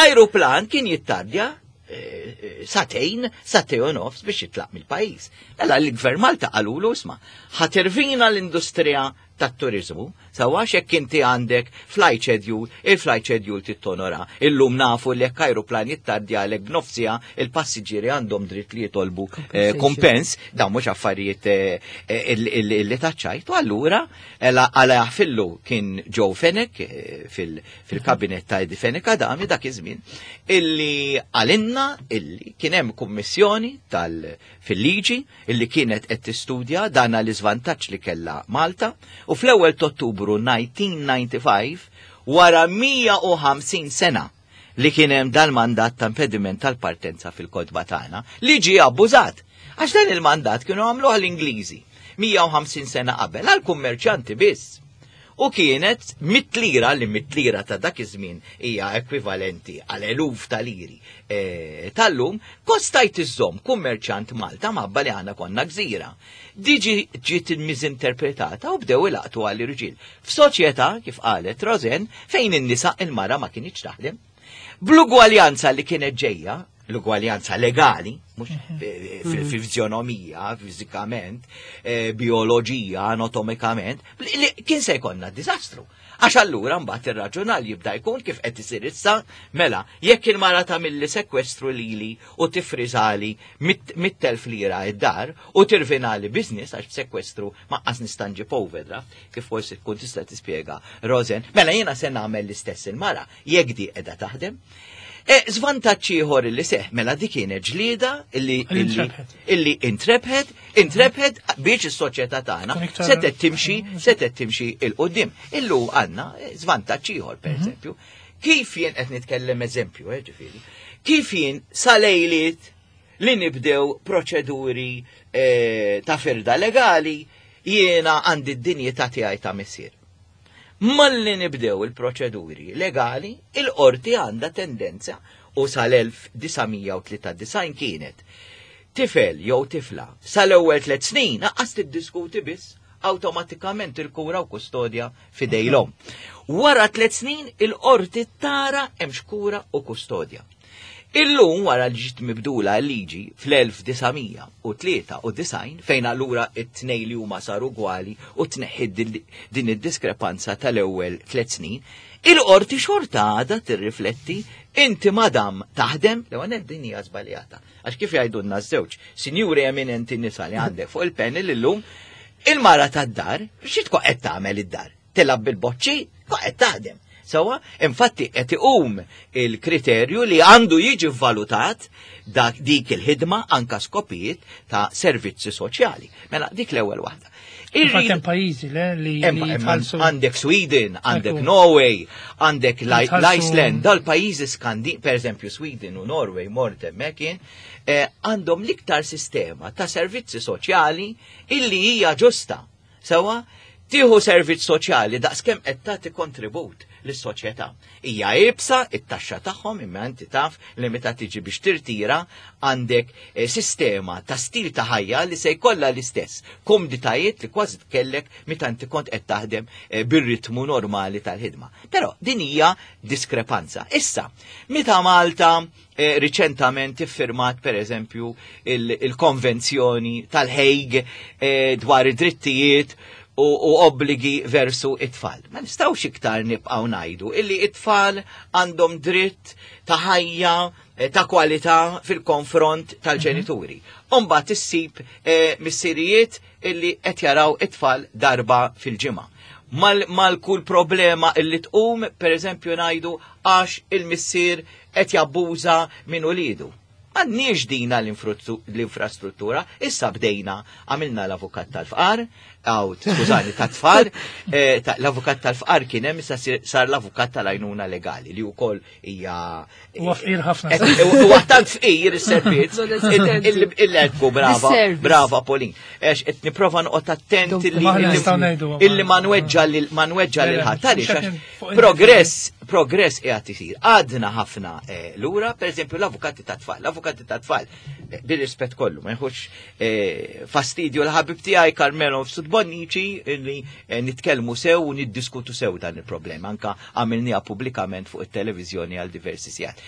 Ajruplan kien jittardja eh, eh, satejn, satej u nofs biex jitlaq mill-pajjiż. Mela l-Gvern Malta qalulu isma' ħatirvina l-industrija tat-turiżmu, sewwa għax hekk inti għandek flight schedule, il-flight schedule tittonora. Illum nafu li jekk ajruplan jittardjalek b'nofsija, il-passiġġieri għandhom dritt li jitolbu eh, kumpens, dawn mhux affarijiet eh, eh, li taċċajt. U allura għala jaħfillu kien Joe Fenech fil-kabinet ta' Eddie Fenech Adami dak iż-żmien illi għalinna illi kien hemm kummissjoni tal fil-liġi illi kienet qed tistudja dan l-iżvantaġġ li kellha Malta u fl-ewwel t'Ottubru 1995 wara 150 sena li kien hemm dal-mandat ta' impediment tal-partenza fil-kotba tagħna li ġie abbużat. Għax dan il-mandat kienu għamluh l-Ingliżi 150 sena qabel għal kummerċjanti biss. U kienet mit lira li mit lira ta' dak iż-żmien hija ekwivalenti għal eluf ta' liri e, tal-lum, kostajt iżżomm kummerċant Malta mabba li għandna konna gżira. Diġi ġiet miżinterpretata u bdew ilaqtu għall irġiel. F'soċjetà, kif qalet Rosen, fejn in-nisa il-mara ma kienx taħdem. Bl-ugwaljanza li kienet ġejja, l-ugwaljanza legali, mhux mhm. fil-fizjonomija, fiżikament, eh, bioloġija, anatomikament, kien se jkollna diżastru. Għax allura mbagħad ir-raġunal jibda jkun kif qed isir issa, mela, jekk il-mara tagħmilli sekwestru lili u tifriżali mit-telf lira id-dar u tirvinali business għax b'sekwestru ma qas nista' nġib overdraft, kif forsi tkun tista' tispjega Rosen, mela jiena se nagħmel l-istess il-mara jekk di qiegħda taħdem. E, Zvantaġġ ieħor li seħ mela dik kienet ġlieda illi illi intrebħet, intrebħet biex is-soċjetà tagħna setgħet timxi, setgħet timxi il qudiem Illu għandna żvantaġġ ieħor pereżempju. Kif jien qed nitkellem eżempju, eh, ġifieri, kif jien salejliet li nibdew proċeduri eh, ta' firda legali jiena għandi d-dinjità tiegħi ta' missier. Malli nibdew il-proċeduri legali, il-qorti għandha tendenza u sal-1993 kienet tifel jew tifla sal-ewwel tliet snin aqqas tiddiskuti biss awtomatikament il-kura u kustodja f'idejn l-omm. Wara tliet snin il-qorti tara hemmx kura u kustodja. Illum wara li ġiet mibdula l-liġi fl-1993 fejn allura it-tnej li huma saru gwali u tneħħiet din id-diskrepanza tal-ewwel tliet snin, il-qorti xorta għadha tirrifletti inti madam taħdem, l-ewwel nett din hija żbaljata. Għax kif jgħidulna ż-żewġ sinjuri eminenti nisa li għandek fuq il-panel illum, il-mara tad-dar xi tkun qed tagħmel id-dar? Tilgħab bil-boċċi, qed taħdem. Sewwa, infatti qed iqum il-kriterju li għandu jiġi vvalutat dak dik il-ħidma anka skopijiet ta' servizzi soċjali. Mela dik l-ewwel waħda. Infatti hemm pajjiżi le li jitħallsu. Għandek Sweden, għandek Norway, għandek l-Iceland, dal-pajjiżi Skandi, per eżempju Sweden u Norway mort hemmhekk jien, eh, għandhom l-iktar sistema ta' servizzi soċjali illi hija ġusta. Sewwa, tieħu servizz soċjali daqskemm qed tagħti kontribut lis-soċjetà. Hija iebsa it-taxxa tagħhom imma inti taf li meta tiġi biex tirtira għandek eh, sistema ta' stil ta' ħajja li se jkollha l-istess komditajiet li kważi tkellek meta inti kont qed taħdem eh, bir-ritmu normali tal-ħidma. Però din hija diskrepanza. Issa, meta Malta Eh, riċentament iffirmat per eżempju il-konvenzjoni tal-Hague eh, dwar id-drittijiet u obbligi versu it-tfal. Ma nistgħux iktar nibqgħu ngħidu illi it-tfal għandhom dritt ta' ħajja ta' kwalità fil-konfront tal-ġenituri. Umbagħad issib missirijiet illi qed jaraw it-tfal darba fil-ġimgħa. Mal kull problema illi tqum, per eżempju ngħidu għax il-missier qed jabbuża minn ulidu. M'għandniex dina l-infrastruttura, issa bdejna għamilna l-avukat tal-fqar, għaw, skużani, tat-tfal, l-avukat tal-fqar kien hemm, issa sar l-avukat tal-għajnuna legali li wkoll hija. Huwa fqir ħafna. Huwa tant fqir is-servizz. Il-lekku, brava, brava Pauline. Għax qed nipprova noqgħod attent illi ma nweġġa lil ma nweġġa lil ħadd. Għaliex progress, progress qiegħed isir. Għadna ħafna lura, pereżempju l-avukati tat-tfal, l-avukati tat-tfal, bir-rispett kollu, ma jħux fastidju l-ħabib tiegħi Carmelo Mifsud Bonnici illi nitkellmu sew u niddiskutu sew dan il-problema, anka għamilniha pubblikament fuq it-televiżjoni għal diversi sigħat.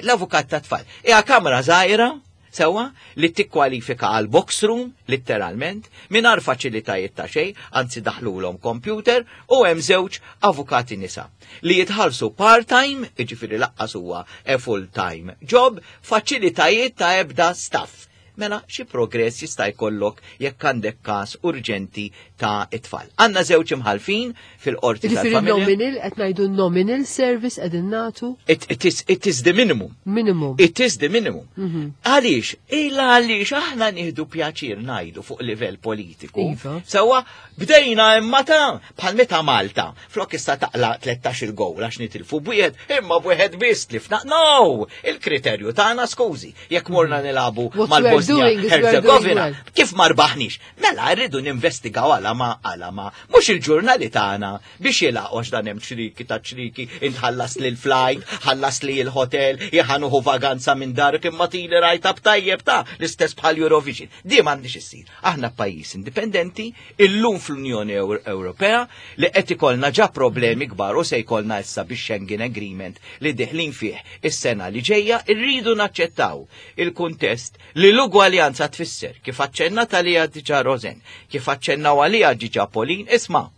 L-avukat tat-tfal hija kamra żgħira sewwa li tikkwalifika għal box room litteralment mingħajr faċilitajiet ta' xejn, anzi daħlulhom computer u hemm żewġ avukati nisa li jitħallsu part-time, jiġifieri laqqas huwa a full-time job, faċilitajiet ta' ebda staff. Mela xi progress jista' jkollok jekk għandek każ urġenti ta' it-tfal. Għandna żewġ imħalfin fil-qorti Jiġifieri tal-familja. Nominal, qed ngħidu nominal service qegħdin nagħtu? It is the minimum. Minimum. It is the minimum. Għaliex? Illa għaliex aħna nieħdu pjaċir ngħidu fuq livell politiku. Sewwa bdejna imma ta' bħal meta Malta, flok issa taqla 13 il-gowl għax nitilfu bwieħed, imma bwieħed biss tlifna. No! Il-kriterju tagħna skużi, jekk morna nilagħbu What we are mal-Bosnia doing is we are doing Herzegovina, well. kif ma rbaħniex? Mela rridu ninvestigaw għala ma għala ma mhux il-ġurnali tagħna biex jilaqgħu għax dan hemm ċriki ta' ċriki, intħallas li l-flight, ħallas li l-hotel, jħanuħu vaganza minn dark imma tili rajta b'tajjeb ta' l-istess bħal Eurovision. Di m'għandix issir. Aħna pajjiż indipendenti, illum fl-Unjoni Ewropea li qed ikollna ġa problemi kbar u se jkollna issa bix Schengen Agreement li diħlin fih is-sena li ġejja, irridu naċċettaw il-kuntest li l-ugwaljanza tfisser kif aċċennat għalija diġà Rosen, kif aċċennaw għalija diġà Pauline, isma'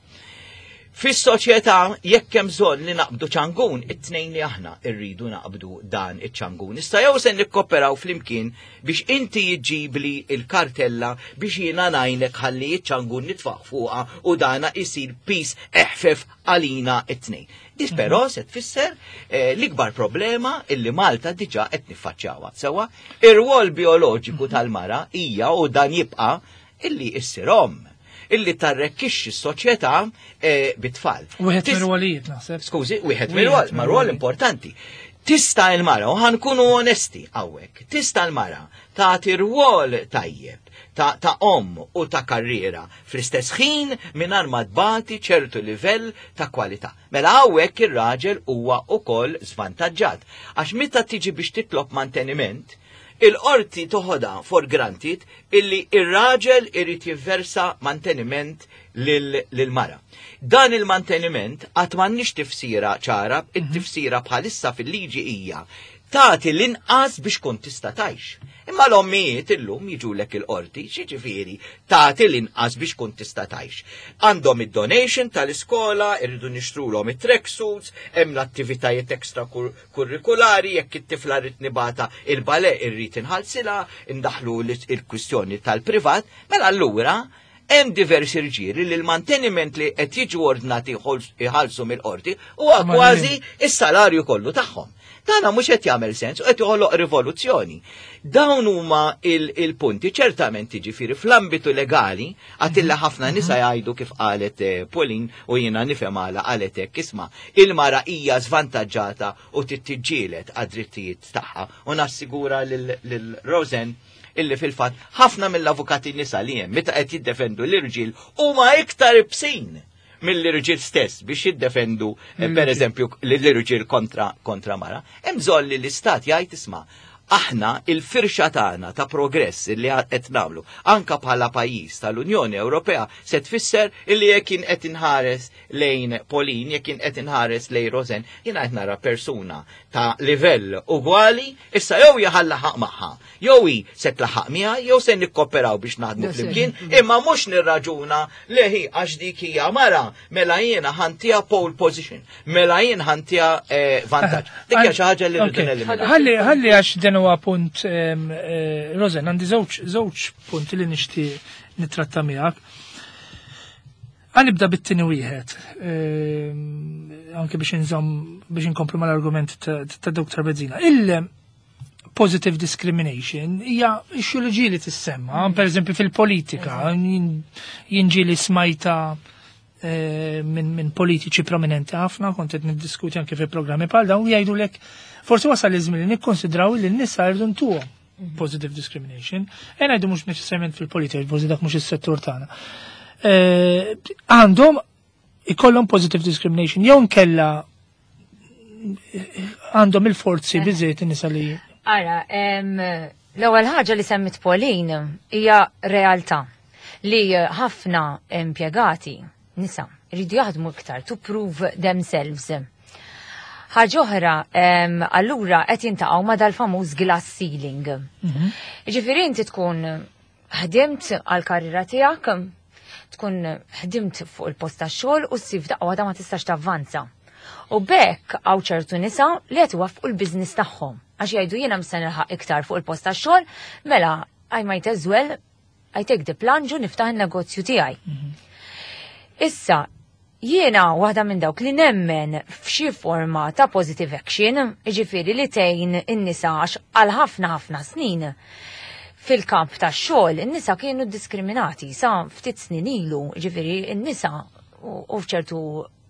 fis-soċjetà jekk hemm bżonn li naqbdu ċangun, it-tnejn li aħna rridu naqbdu dan iċ-ċangun. Issa jew se nikkoperaw flimkien biex inti jġibli il-kartella biex jiena ngħinek ħalli iċ-ċangun nitfaq fuqha u dana isir pis eħfef għalina it-tnejn. Dis però se tfisser l-ikbar problema illi Malta diġà qed niffaċċjawha. Sewwa, ir-rwol bioloġiku tal-mara hija u dan jibqa' illi issir omm, illi tarrekkixxi s-soċjetà bit-tfal. Wieħed mir-rwolijiet naħseb. Skużi, wieħed Wieħed mir-rwol, ma rwol mir-rwolijiet. importanti. Tista' l-mara, u ħankunu onesti hawnhekk, tista' l-mara tagħti rwol tajjeb ta' omm u ta' karriera fl-istess ħin mingħajr ma tbati ċertu livell ta' kwalità. Mela hawnhekk ir-raġel huwa wkoll żvantaġġat. Għax meta tiġi biex titlob manteniment, il-qorti toħodha for granted illi ir-raġel irid jivversa manteniment lil-mara. Dan il-manteniment qatt m'għandniex tifsira ċara, it-tifsira bħalissa fil-liġi hija tagħti l-inqas biex kont tista' tgħix. Imma l-ommijiet illum jiġulek il-qorti, xiġifieri tagħti l-inqas biex kont tista' tgħix. Għandhom id-donation tal-iskola, irridu nixtrulhom it-tracksuits, hemm l-attivitajiet extra kurrikulari, jekk it-tifla rrid nibata il-bale irrid inħallsilha, indaħlu il-kwistjoni tal-privat, mela allura hemm diversi rġieli li l-manteniment li qed jiġu ordnati iħallsu mill-qorti huwa Ma kważi jien. is-salarju kollu tagħhom. Dana mhux qed jagħmel sens u qed joħloq rivoluzzjoni. Dawn huma il-punti, ċertament jiġifieri fl-ambitu legali, għatilla ħafna nisa jgħidu kif qalet Pauline u jiena nifhem għala qalet hekk, isma' il-mara hija żvantaġġata u tittiġġieled għad-drittijiet tagħha u nassigura lil Rosen illi fil-fatt ħafna mill-avukati nisa li hemm meta qed jiddefendu l-irġiel huma iktar ibsin mill-irġiel stess biex jiddefendu per eżempju l-irġiel kontra mara. Hemm bżonn li l-istat jgħid isma' Aħna il-firxa tagħna ta' progress li qed nagħmlu anka bħala pajjiż tal-Unjoni Ewropea se tfisser illi jekk jien qed inħares lejn Pauline, jekk jien qed inħares lejn Rosen, jiena qed nara persuna ta' livell ugwali, issa jew hija ħa nlaħħaq magħha, jew hi se tlaħħaq miegħi, jew se nikkoperaw biex naħdmu flimkien, imma mhux nirraġuna li hi għax dik hija mara, mela jiena ħa ntiha pole position, mela jien ħa ntiha vantaġġ. Dik hija xi ħaġa li rridu neliminaw. Ħalli ħalli għax dan huwa punt Rosen, għandi żewġ punti li nixtieq nittratta miegħek. Ħa nibda bit-tieni wieħed, anke biex inżomm biex inkomplu mal-argument ta' Dr. Bezzina. Il positive discrimination hija issue li ġieli tissemma, per eżempju fil-politika, jien ġieli smajtha minn politiċi prominenti ħafna, kont qed niddiskuti anke fi programmi bħal dawn, jgħidulek forsi wasal iż-żmien li nikkonsidraw li n-nisa jridu ntuhom positive discrimination. E ngħidu mhux neċessarjament fil-politika, forsi dak mhux is-settur tagħna. Għandhom ikollhom positive discrimination jew nkella għandhom il-forzi biżejjed in-nisa li Ara, l-ewwel ħaġa li semmit Pauline hija realtà li ħafna impjegati nisa jridu jaħdmu iktar to prove themselves. Ħaġa oħra, allura qed jiltaqgħu ma' dal-famuż glass ceiling. Ġifieri inti tkun ħdimt għal-karriera tiegħek, tkun ħdimt fuq il-post tax-xogħol u ssib daqqa waħda ma tistax tavvanza. U b'hekk hawn ċertu nisa li qed iwaffqu l-business tagħhom. Għax jgħidu jiena mhux se nilħaq iktar fuq il-post tax-xogħol, mela I might as well I take the plunge u niftaħ il-negozju tiegħi. Issa, jiena waħda minn dawk li nemmen f'xi forma ta' positive action, jiġifieri li tgħin in-nisa għax għal ħafna ħafna snin fil-kamp ta' xogħol in-nisa kienu diskriminati sa ftit snin ilu, jiġifieri in-nisa u f'ċertu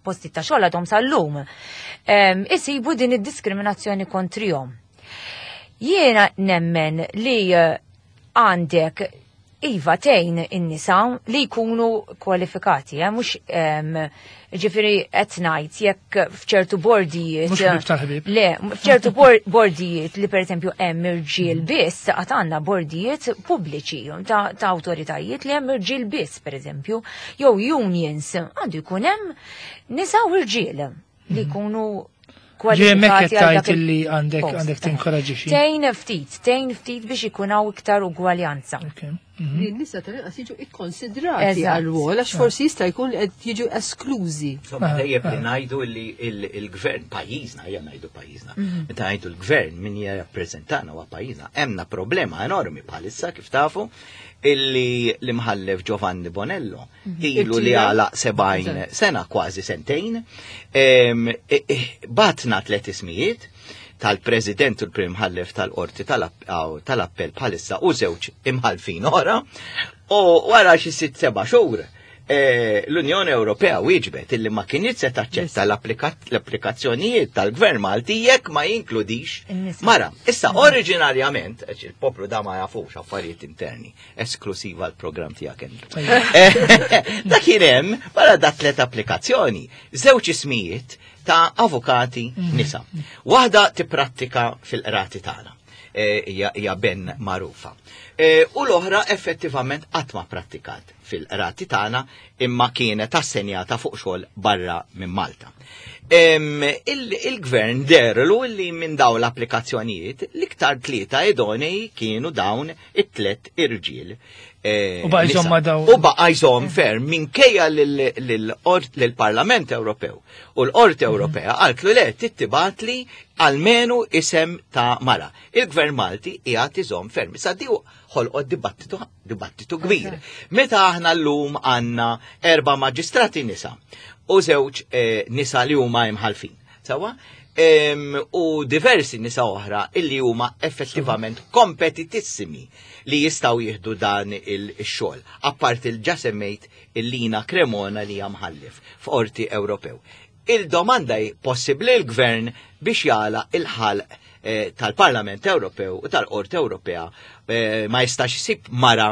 posti ta' xogħol għadhom sal-lum isibu din id-diskriminazzjoni kontrihom. Jiena nemmen li għandek iva tgħin in-nisa li jkunu kwalifikati, mhux ġifieri qed ngħid jekk f'ċertu bordijiet. Mhux ħbieb tal-ħbieb. Le, f'ċertu bordijiet li pereżempju hemm irġiel biss, għad għandna bordijiet pubbliċi ta' awtoritajiet li hemm irġiel biss pereżempju, jew unions, għandu jkun hemm nisa u irġiel li jkunu Ġie kwalifikati għal dak tajt li għandek il-post. għandek tinkoraġixxi. Tgħin ftit biex ikun hawn iktar ugwaljanza. Li n-nisa tal-inqas jiġu ikkonsidrati għal-rwol, għax forsi jista' jkun li qed jiġu esklużi. Insomma, tajjeb li ngħidu li il-gvern pajjiżna, ejja ngħidu pajjiżna. Meta ngħidu l-gvern min jirrappreżentana huwa pajjiżna, hemmna problema enormi bħalissa kif tafu illi l-imħallef Giovanni Bonello ilu li Irtira. għalaq 70 sena, kważi sentejn, bagħatna tlet ismijiet tal-President u l-Prim Imħallef tal-Qorti tal-Appell bħalissa u żewġ imħalfin oħra u wara xi 6-7 xhur l-Unjoni Ewropea wieġbet illi ma kienx se taċċetta l-applikazzjonijiet tal-Gvern Malti jekk ma jinkludix In-nisa. mara. Issa oriġinarjament, għax il-poplu da ma jafux affarijiet interni, esklusiva l-programm tiegħek Andrew. Da kien hemm wara da tlet applikazzjoni, żewġ ismijiet ta' avukati nisa. Waħda tipprattika fil-qrati tagħna. Hija ben magħrufa. U l-oħra effettivament qatt ma prattikat fil-qrati tagħna imma kienet assenjata fuq xogħol barra minn Malta. Il-gvern deherlu li minn dawn l-applikazzjonijiet l-iktar tlieta idonei kienu dawn it-tlet irġiel. U baqa' jżomm Nisa. ma' dawn. U baqa' jżomm ferm minkejja lill-Parlament Ewropew. U l-Qorti Ewropea qaltlu le tibgħatli almenu isem ta' mara. Il-Gvern Malti qiegħed iżomm ferm. Issa di ħolqot dibattitu kbir. Meta aħna llum għandna erba' maġistrati nisa u żewġ nisa li huma imħalfin. Sawa? U diversi nisa oħra illi huma effettivament kompetitissimi li jistgħu jieħdu dan il-xogħol. Apart il-ġa semmejt il-Lina Cremona li hija mħallef f'Qorti Ewropew. Il-domanda hi possibbli l-gvern biex jagħlaq il-ħalq tal-Parlament Ewropew u tal-Qorti Ewropea ma jistax isib mara.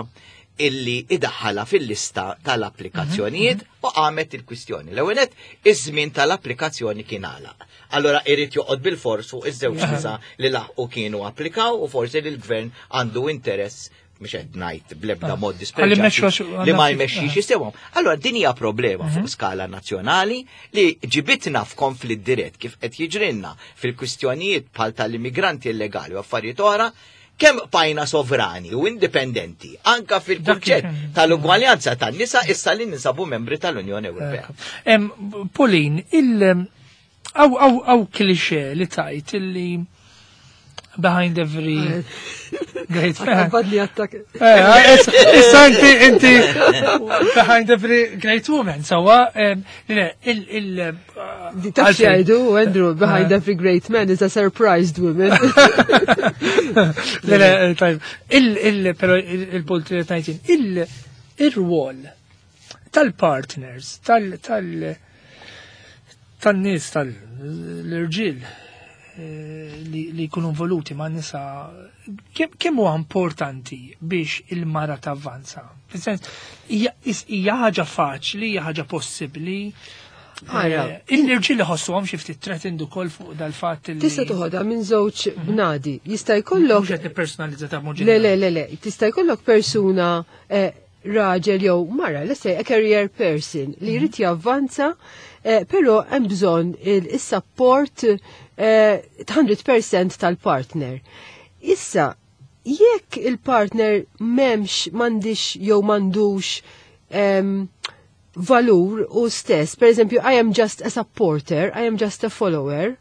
illi idaħħala fil-lista tal-applikazzjonijiet u qamet il-kwistjoni. L-ewwel nett, iż-żmien tal-applikazzjoni kien għalaq. Allora irid joqgħod bil-fors fuq iż-żewġ nisa li laħqu kienu applikaw u forsi li l-gvern għandu interess, mhux qed ngħid bl-ebda mod dispreġjat, li ma jmexxix isewhom. Allora din hija problema fuq skala nazzjonali li ġibitna f'konflitt dirett kif qed jiġrilna fil-kwistjonijiet bħal tal-immigranti illegali u affarijiet oħra, kemm bqajna sovrani u indipendenti anka fil-kunċett tal-ugwaljanza tan-nisa issa li ninsabu membri tal-Unjoni Ewropea. Pauline, il aw klixe li tajt illi behind every great man. Badli attak. Issa inti behind every great woman, sawa, le, il Taf jgħidu, Andrew, behind every great man is a surprised woman. Le, le, tajb. Il, pero il-punt li tajtin, il-rwol tal-partners, tal-nies, tal-irġiel li jkunu involuti ma' nisa, kemm huwa importanti biex il-mara tavvanza? Fis-sens, hija ħaġa faċli, hija ħaġa possibbli. Ara. Il-irġiel iħossuhom xi ftit threatened ukoll fuq dal-fatt li. Tista' toħodha minn żewġ bnadi. Jista' jkollok Mhux qed nippersonalizza ta' mod Le, le, le, le. Tista' jkollok persuna, raġel jew mara, let's say a career person li jrid javvanza, però hemm bżonn il-support 100% tal-partner. Issa, jekk il-partner m'hemmx, m'għandix jew m'għandux valur u stess, per eżempju, I am just a supporter, I am just a follower,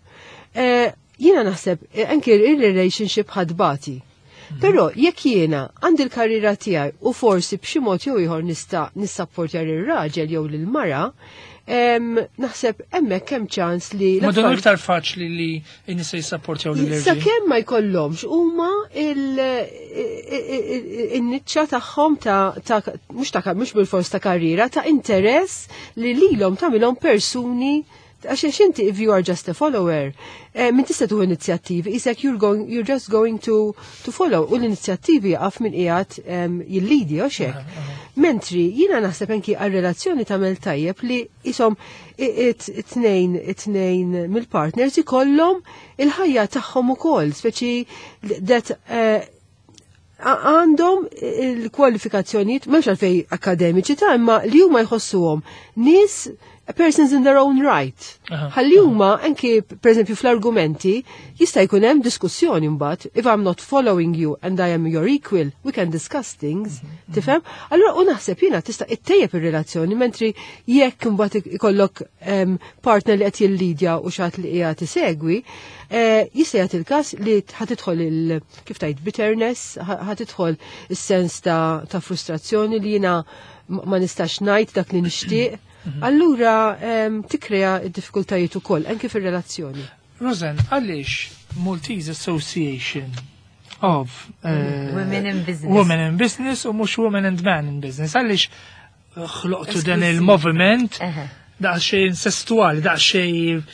jiena naħseb anke il-relationship ħa tbati. Però jekk jiena għandi l-karriera tiegħi u forsi b'xi mod jew ieħor nista' nissapportja lir-raġel jew lill-mara, naħseb hemmhekk hemm ċans li Ma dan l-affarijiet iktar faċli li n-nisa jissapportjaw lil Sa kemm ma jkollhomx huma il-niċċa tagħhom ta' mhux bil-fors ta' karriera, ta' interess li lilhom tagħmilhom persuni, għax inti if you are just a follower, min tista' tuħu inizjattivi, isek you're just going to follow, u l-inizjattivi għaf min qiegħed jillidi u xek. Mentri jiena naħseb anki għal-relazzjoni tagħmel tajjeb li isom it-tnejn mill-partners ikollhom il-ħajja tagħhom ukoll, speċi that għandhom il-kwalifikazzjonijiet, m'hemmx għalfej akademiċi ta' imma li huma jħossuhom nies, persons in their own right. Ħalli huma anki per eżempju fl-argumenti jista' jkun hemm diskussjoni mbagħad, if I'm not following you and I am your equal, we can discuss things, tifhem? Allura u naħseb jiena tista' ittejjeb ir-relazzjoni, mentri jekk imbagħad ikollok partner li qed jillidja u xi ħadd li qiegħed isegwi, jista' jagħti il-każ li ħa tidħol il, kif tgħid, bitterness, ħa tidħol is-sens ta' frustrazzjoni li jiena ma nistax ngħid dak li nixtieq. Allura tikrea d-diffikultajiet ukoll anke fir-relazzjoni. Rosanne, għaliex Maltese Association of Women in Business. Women in Business u mhux Women and Men in Business? Għaliex ħloqtu dan Esklusiv. il-moviment daqsxejn incestuali, daqsxejn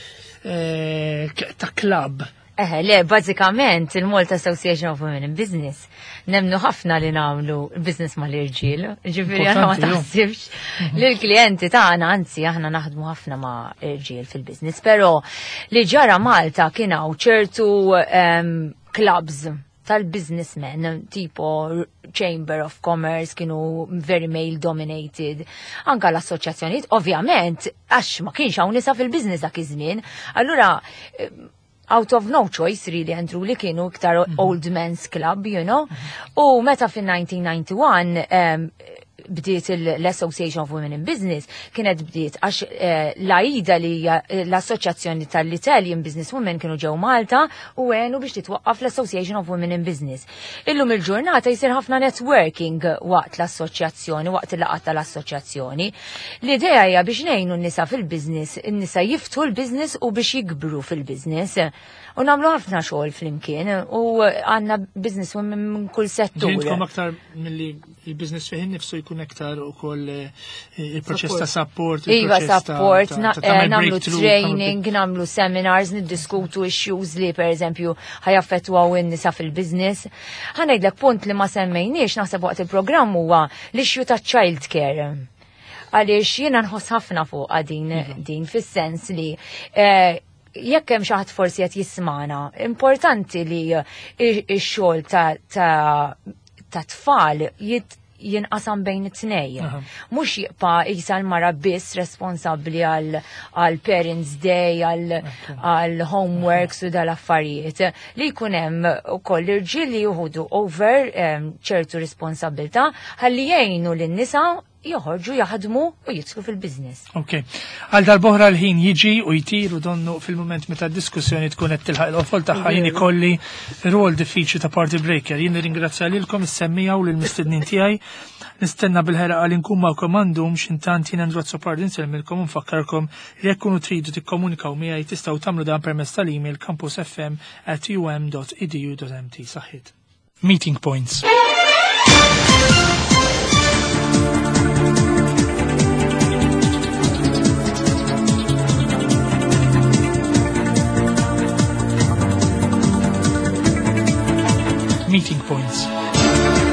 ta' club? Eħe, le, bażikament il-Malta Association of Women in Business nemnu ħafna li nagħmlu business mal-irġiel, ġifieri aħna ma Importanti, jo. taħsibx li l-klijenti tagħna, anzi aħna naħdmu ħafna ma' irġiel fil-business, però li ġara Malta kien hawn ċertu clubs tal-businessmen, tipo Chamber of Commerce, kienu very male dominated. Anka l-assoċjazzjonijiet, ovvjament, għax ma kienx hawn nisa fil-business dak iż-żmien. Allura, out of no choice really and truly kienu iktar old men's club. U meta fin-1991 bdiet l-Association of Women in Business, kienet bdiet għax l-AIDA li hija l-Assoċjazzjoni tal-Italian Business Women kienu ġew Malta u għenu biex titwaqqaf l-Association of Women in Business. Illum il-ġurnata jsir ħafna networking waqt l-assoċjazzjoni, waqt il-laqgħat tal-assoċjazzjoni. L-idea hija biex ngħinu n-nisa fil-business, n-nisa jiftħu l-business u biex jikbru fil-business. U nagħmlu ħafna xogħol flimkien u għandna business women minn kull settur. Ġintkom aktar milli il-business fih innifsu jkun aktar ukoll il-proċess ta' support. Iva, support, nagħmlu training, nagħmlu seminars, niddiskutu issues li per eżempju ħajaffettwaw in-nisa fil-business. Ħa ngħidlek punt li ma semmejniex naħseb waqt il-programm huwa l-issue ta' child care. Għaliex jiena nħoss ħafna fuq din din fis-sens li jekk hemm xi ħadd forsi qed jismana, importanti li x-xogħol ta' tfal jinqasam bejn it-tnej. Mhux jibqa' jisa l-mara biss responsabbli għal Parents Day, għal homeworks u dal-affarijiet. Li jkun hemm ukoll irġiel li jieħdu over ċertu responsabilità ħalli jgħinu lin-nisa joħorġu jaħdmu u jidħlu fil-biznis. Ok. Għal darb'oħra l-ħin jiġi u jtir u donnu fil-moment meta d-diskussjoni tkun qed tilħaq il-qofol tagħha jien ikolli rwol diffiċli ta' party breaker. Jien nirringrazzja lilkom is-semmiegħa u lill-mistednin tiegħi. Nistenna bil-ħerqa li nkun magħkom għandhom x'intant jien Andrew Azzopardi nsellmilkom u nfakkarkom li jekk kunu tridu tikkomunikaw miegħi tistgħu tagħmlu dan permezz tal-email campusfm@um.edu.mt. Saħħit. Meeting Points. Meeting Points.